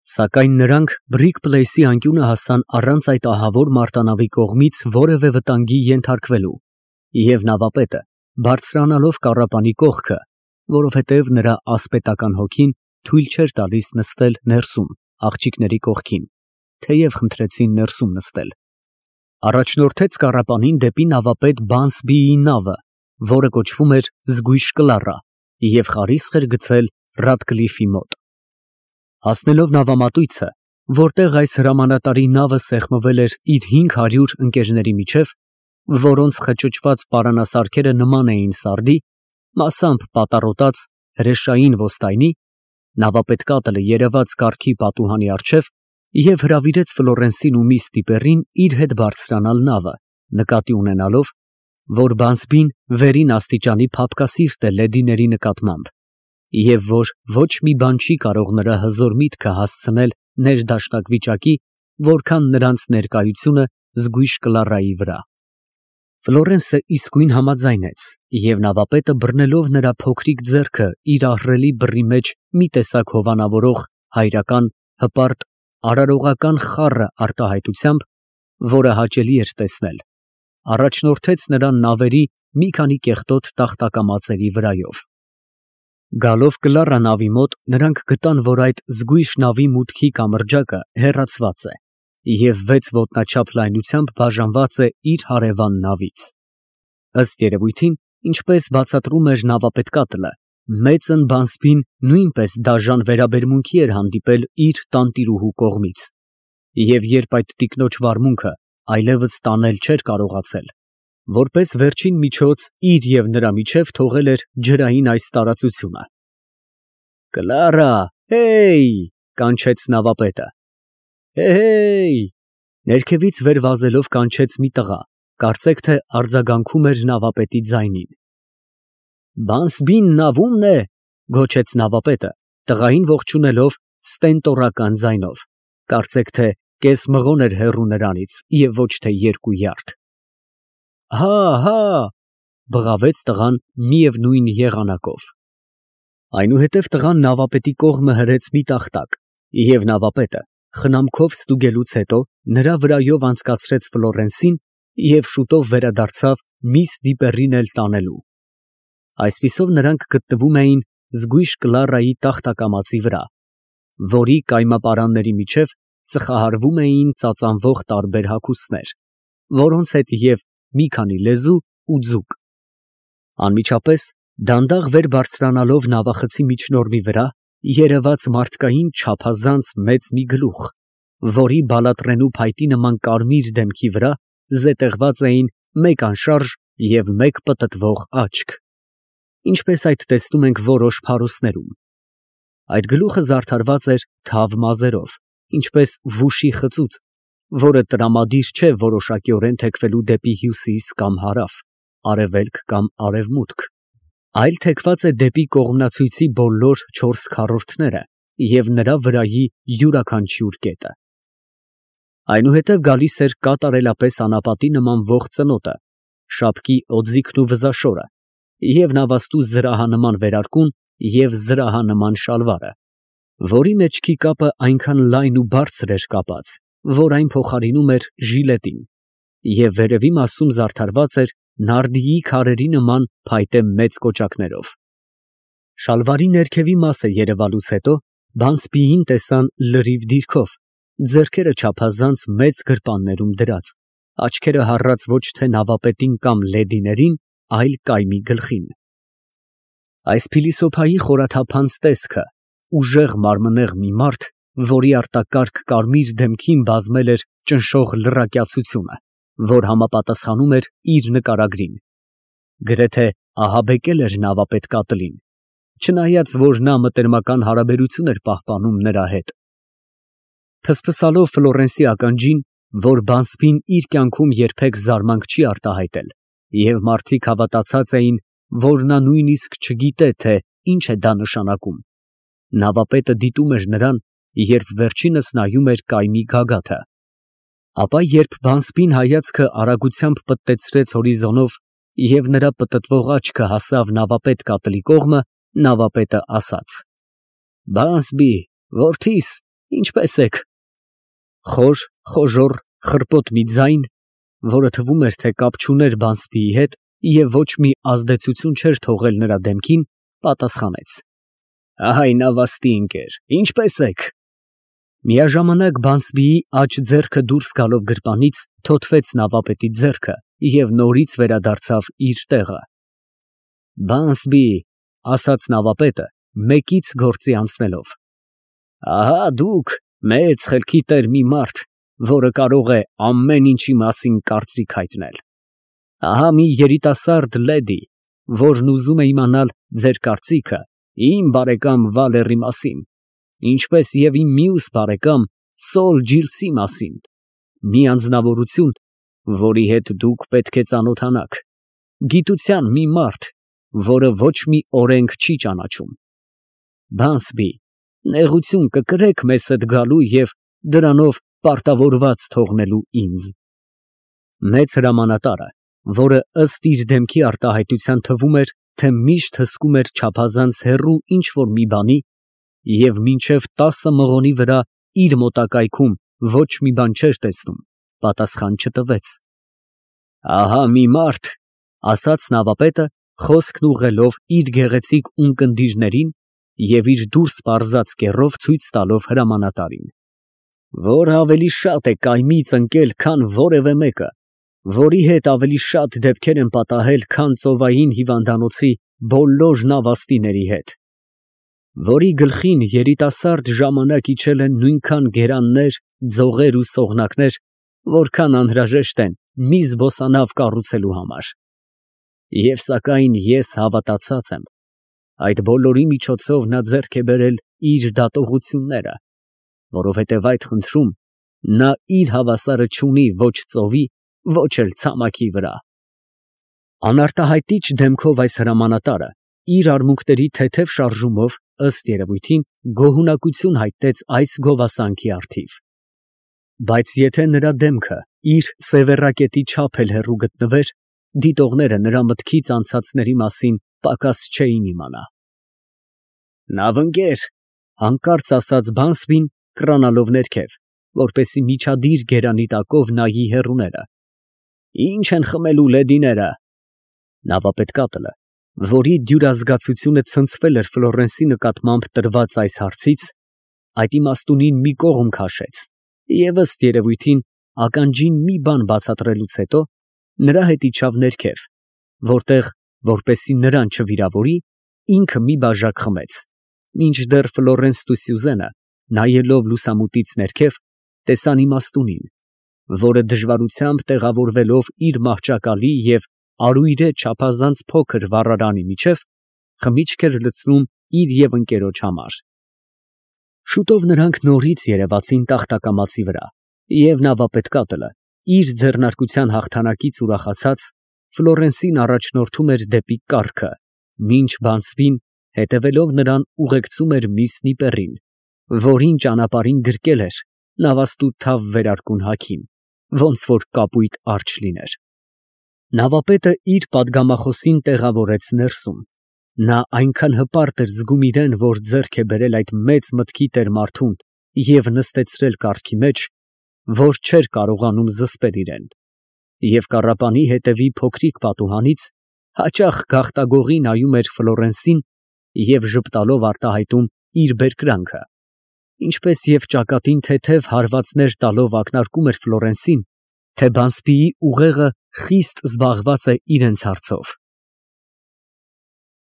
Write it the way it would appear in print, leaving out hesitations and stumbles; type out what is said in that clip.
Սակայն նրանք Բրիքփլեյսի անկյունը հասան առանց այդ ահավոր մարտանավի կողմից որևէ վտանգի ենթարկվելու, և նավապետը, բարձրանալով կառապանի կողքը, որովհետև նրա ասպետական հոգին թույլ չէր տալիս նստել ներսում աղջիկների կողքին, թեև խնդրեցին ներսում նստել, առաջնորդեց կառապանին դեպի նավապետ Բանսբիի նավը, որը կոչվում էր Զգույշ Կլարա, և խարիսխ էր գցել Ռադկլիֆի մոտ։ Հասնելով նավամատույցը, որտեղ այս հրամանատարի նավը սեղմվել էր իր 500 ընկերների միջև, որոնց խճճված պարանասարքերը նման էին սարդի, մասամբ պատառոտած հրեշային ոստայնի, նավապետ Կատլը երևաց կառքի պատուհանի առջև և հրավիրեց Ֆլորենսին ու միս Տիպերին իր հետ բարձրանալ նավը, նկատի ունենալով, որ Բանսբին վերին աստիճանի փափկասիրտ է լեդիների նկատմամբ, և որ ոչ մի բան չի կարող նրա հզոր միտքը հասցնել ներդաշնակ վիճակի, որքան նրանց ներկայությունը Զգույշ Կլարայի վրա։ Ֆլորենսը իսկույն համաձայնեց, և նավապետը բռնելով նրա փոքրիկ ձեռքը իր ահռելի բռի մեջ մի տեսակ հովանավորող, հայրական, հպարտ, արարողական խառը արտահայտությամբ, որը հաճելի էր տեսնել, առաջնորդեց նրան նավերի մի քանի կեղտոտ տախտակամածերի վրայով։ Գալով Կլարա նավի մոտ, նրանք գտան, որ այդ զգույշ նավի մուտքի կամրջակը հեռացված է և 6 ոտնաչափ լայնությամբ բաժանված է իր հարևան նավից։ Ըստ երևույթին, ինչպես բացատրում էր նավապետ Կատլը, մեծն Բանսբին նույնպես դաժան վերաբերմունքի էր հանդիպել իր տանտիրուհու կողմից, և երբ այդ տիկնոջ վարմունքը այլևս տանել չէր կարողացել, որպես վերջին միջոց իր և նրա միջև թողել էր ջրային այս տարածությունը։ «Կլարա, հեյ!» կանչեց նավապետը։ «Հեյ»։ Ներքևից վեր վազելով կանչեց մի տղա, կարծեք թե արձագանքում էր նավապետի ձայնին։ «Բանսբին նավումն է», գոչեց նավապետը, տղային ողջունելով ստենտորական ձայնով, կարծեք թե կես մղոն էր հեռու նրանից և ոչ թե 2 յարդ։ «Հա, բղավեց տղան միևնույն եղանակով։ Այնուհետև տղան նավապետի կողմը հրեց մի տախտակ, և նավապետը, խնամքով ստուգելուց հետո, նրա վրայով անցկացրեց Ֆլորենսին և շուտով վերադարձավ միս Դիպերին էլ տանելու։ Այսպիսով նրանք գտնվում էին Զգույշ Կլարայի տախտակամածի վրա, որի կայմապարանների միջև ծխահարվում էին ծածանվող տարբեր հագուստներ, որոնց հետ և մի քանի լեզու ու ձուկ։ Անմիջապես, դանդաղ վեր բարձրանալով նավախցի միջնորմի վրա, երևաց մարդկային չափազանց մեծ մի գլուխ, որի բալատրենու փայտի նման կարմիր դեմքի վրա զետեղված էին մեկ անշարժ և մեկ պտտվող աչք, ինչպես այդ տեսնում ենք որոշ փարոսներում։ Այդ գլուխը զարդարված էր թավ մազերով, ինչպես վուշի խծուց, որը տրամադիր չէ որոշակիորեն թեքվելու դեպի հյուսիս կամ հարավ, արևելք կամ արևմուտք, այլ թեքված է դեպի կողմնացույցի բոլոր 4 քառորդները և նրա վրայի յուրաքանչյուր կետը։ Այնուհետև գալիս էր կատարելապես անապատի նմանվող ծնոտը, շապկի օձիքն ու վզաշորը, և նավաստու զրահանման վերարկուն և զրահանման շալվարը, որի մեջքի կապը այնքան լայն ու բարձր էր կապած, որ այն փոխարինում էր ժիլետին, և վերևի մասում զարդարված էր նարդիի քարերի նման փայտե մեծ կոճակներով։ Շալվարի ներքևի մասը երևալուց հետո Բանսբիին տեսան լրիվ դիրքով, ձեռքերը չափազանց մեծ գրպաններում դրած, աչքերը հառած ոչ թե նավապետին կամ լեդիներին, այլ կայմի գլխին։ Այս փիլիսոփայի խորաթափանց տեսքը, ուժեղ մարմնեղ մի մարդ, որի արտակարգ կարմիր դեմքին բազմել էր ճնշող լրակյացությունը, որ համապատասխանում էր իր նկարագրին, գրեթե ահաբեկել էր նավապետ Կատլին, չնայած որ նա մտերմական հարաբերություն էր պահպանում նրա հետ։ Փսփսալով Ֆլորենսի ականջին, որ Բանսբին իր կյանքում երբեք զարմանք չի արտահայտել, և մարդիկ հավատացած էին, որ նա նույնիսկ չգիտե, թե ինչ է դա նշանակում, նավապետը դիտում էր նրան, երբ վերջինս նայում էր կայմի գագաթը։ Ապա երբ Բանսբին հայացքը արագությամբ պտտեցրեց հորիզոնով և նրա պտտվող աչքը հասավ նավապետ Կատլի կողմը, նավապետը ասաց. «Բանսբի, որդիս, Ինչպե՞ս եք։ Խոր, խոժոռ, խրպոտ մի ձայն, որը թվում էր, թե կապ չուներ Բանսբիի հետ և ոչ մի ազդեցություն չէր թողել նրա դեմքին, պատասխանեց. Ահա նավաստի ընկեր, ինչպե՞ս եք։ Միաժամանակ Բանսբիի աջ ձեռքը դուրս գալով գրպանից թոթվեց նավապետի ձեռքը և նորից վերադարձավ իր տեղը։ Բանսբի, ասաց նավապետը, մեկից գործի անցնելով, ահա դուք մեծ խելքի տեր մի մարդ, որը կարող է ամեն ինչի մասին կարծիք հայտնել։ Ահա մի երիտասարդ լեդի, որն ուզում է իմանալ ձեր կարծիքը իմ բարեկամ Վալերի մասին, ինչպես և իմ մյուս բարեկամ Սոլ Ջիլսի մասին, մի անձնավորություն, որի հետ դուք պետք է ծանոթանաք, գիտության մի մարդ, որը ոչ մի օրենք չի ճանաչում։ Բանսբի, նեղություն կկրեք մեզ հետ գալու և դրանով պարտավորված թողնելու ինձ։ Մեծ հրամանատարը, որը ըստ իր դեմքի արտահայտության թվում էր, թե միշտ հսկում էր չափազանց հեռու ինչ֊որ մի բանի և մինչև 10 մղոնի վրա իր մոտակայքում ոչ մի բան չէր տեսնում, պատասխան չտվեց։ Ահա մի մարդ, ասաց նավապետը, խոսքն ուղղելով իր գեղեցիկ ունկնդիրներին և իր դուրս պարզած կեռով ցույց տալով հրամանատարին, որ ավելի շատ է կայմից ընկել, քան որևէ մեկը, որի հետ ավելի շատ դեպքեր են պատահել, քան ծովային հիվանդանոցի բոլոր նավաստիների հետ, որի գլխին երիտասարդ ժամանակ իջել են նույնքան գերաններ, ձողեր ու սողնակներ, որքան անհրաժեշտ են մի զբոսանավ կառուցելու համար։ Եվ սակայն ես հավատացած եմ, այդ բոլորի միջոցով նա ձեռք է բերել իր դատողությունները, որովհետև այդ խնդրում նա իր հավասարը չունի ոչ ծովի, ոչ էլ ցամաքի վրա։ Անարտահայտիչ դեմքով այս հրամանատարը իր արմունկների թեթև շարժումով, ըստ երևույթին, գոհունակություն հայտնեց այս գովասանքի առթիվ։ Բայց եթե նրա դեմքը իր սևեռակետի չափ էլ հեռու գտնվեր, դիտողները նրա մտքից անցածների մասին պակաս չէին իմանա։ Լավ ընկեր, հանկարծ ասաց Բանսբին, կռանալով ներքև, որպեսզի միջադիր գերանի տակով նայի հեռուները։ Ինչ են խմելու լեդիները։ Նավապետկատլը, որի դյուրազգացությունը ցնցվել էր Ֆլորենսի նկատմամբ տրված այս հարցից, այդ իմաստունին մի կողմ քաշեց և ըստ երևույթին ականջին մի բան բացատրելուց հետո նրա հետ իջավ ներքև, որտեղ, որպեսզի նրան չվիրավորի, ինքը մի բաժակ խմեց, մինչդեռ Ֆլորենսն ու Սյուզենը, նայելով լուսամուտից ներքև, տեսան իմաստունին, որը դժվարությամբ տեղավորվելով իր մահճակալի և արույրե չափազանց փոքր վառարանի միջև, խմիչք էր լցնում իր և ընկերոջ համար։ Շուտով նրանք նորից երևացին տախտակամածի վրա, և նավապետկատլը, իր ձեռնարկության հաղթանակից ուրախացած, Ֆլորենսին առաջնորդում էր դեպի կառքը, մինչ Բանսբին, հետևելով նրան, ուղեկցում էր միս Նիպեռին, որին ճանապարհին գրկել էր նավաստու թավ վերարկուն հագին, ոնց որ կապույտ արջը լիներ։ Նավապետը իր պատգամախոսին տեղավորեց ներսում։ Նա այնքան հպարտ էր զգում իրեն, որ ձեռք է բերել այդ մեծ մտքի տեր մարդուն և նստեցրել կառքի մեջ, որ չէր կարողանում զսպել իրեն, և կառապանի հետևի փոքրիկ պատուհանից հաճախ գաղտագողի նայում էր Ֆլորենսին և ժպտալով արտահայտում իր բերկրանքը, ինչպես և ճակատին թեթև հարվածներ տալով ակնարկում էր Ֆլորենսին, թե Բանսբիի ուղեղը խիստ զբաղված է իրենց հարցով։